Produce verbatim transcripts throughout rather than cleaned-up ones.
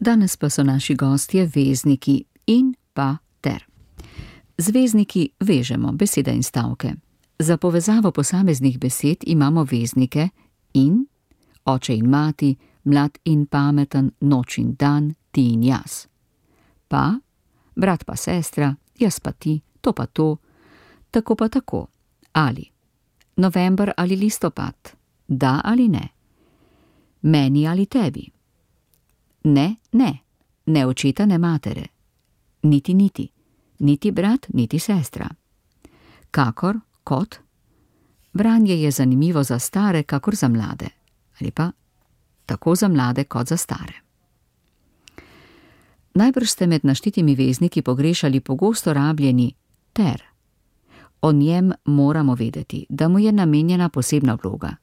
Danes pa so naši gostje vezniki in pa ter. Z vezniki vežemo besede in stavke. Za povezavo posameznih besed imamo veznike in, oče in mati, mlad in pameten, noč in dan, ti in jaz. Pa, brat pa sestra, jaz pa ti, to pa to, tako pa tako, ali. November ali listopad, da ali ne. Meni ali tebi. Ne, ne, ne očeta, ne matere. Niti, niti, niti brat, niti sestra. Kakor, kot. Branje je zanimivo za stare, kakor za mlade. Ali pa tako za mlade, kot za stare. Najbrž ste med naštitimi vezniki pogrešali pogosto rabljeni ter. O njem moramo vedeti, da mu je namenjena posebna vloga.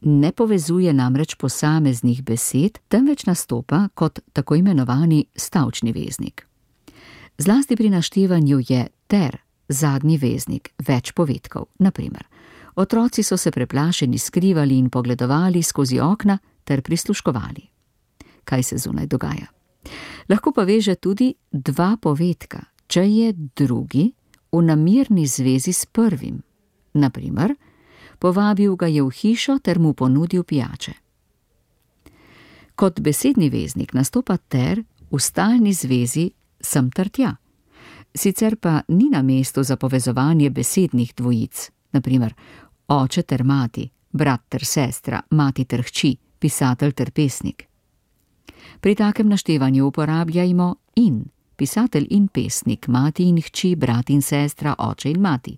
Ne povezuje namreč posameznih besed, temveč nastopa kot tako imenovani stavčni veznik. Zlasti pri naštevanju je ter zadnji veznik več povedkov. Na primer, otroci so se preplašeni skrivali in pogledovali skozi okna ter prisluškovali. Kaj se zunaj dogaja? Lahko pa veže tudi dva povedka, če je drugi v namirni zvezi s prvim. Na primer, povabil ga je v hišo ter mu ponudil pijače. Kot besedni veznik nastopa ter v stalni zvezi sem ter tja. Sicer pa ni na mestu za povezovanje besednih dvojic, na primer oče ter mati, brat ter sestra, mati ter hči, pisatelj ter pesnik. Pri takem naštevanju uporabljajmo in, pisatelj in pesnik, mati in hči, brat in sestra, oče in mati.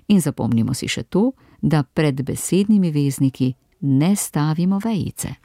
In zapomnimo si še to, da pred besednimi vezniki ne stavimo vejice.